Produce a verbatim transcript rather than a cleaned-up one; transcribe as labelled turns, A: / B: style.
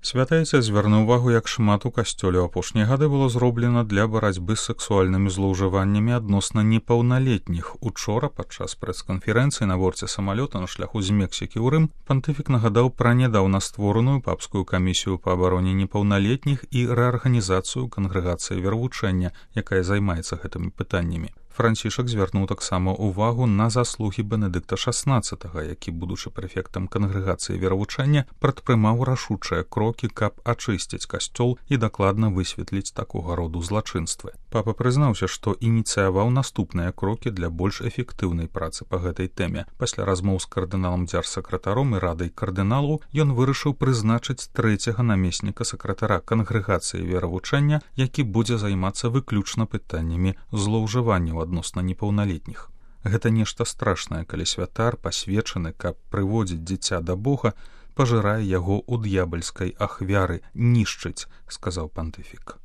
A: Святайца звярнуў увагу, як шмат у касцёле ў апошнія гады было зроблена для барацьбы з сексуальнымі злоўжываннямі адносна непаўналетніх. Учора, падчас прэс-канферэнцыі на борце самалёта на шляху з Мексікі ў Рым, пантыфік нагадаў пра нядаўна створаную папскую камісію па абароне непаўналетніх і рэарганізацыю кангрэгацыі веравучэння, якая займаецца гэтымі пытаннямі. Францішак звярнуў таксама ўвагу на заслугі Бенедыкта шаснаццатага, які, будучы прэфектам кангрэгацыі веравучэння, прадпрымаў рашучыя крокі, каб ачысціць касцёл і дакладна высветліць такога роду злачынствы. Папа прызнаўся, што ініцыяваў наступныя крокі для больш эфектыўнай працы па гэтай тэме. Пасля размоў з кардыналам дзяржсакратаром і радай кардыналаў ён вырашыў прызначыць трэцяга намесніка сакратара кангрэгацыі веравучэння, які будзе займацца выключна пытаннямі злоўжыванняў адносна непаўналетніх. Гэта нешта страшнае, калі святар, пасвечаны, каб прыводзіць дзіця да Бога, пажырае яго ў д'ябальскай ахвяры, нішчыць, сказаў пантыфік.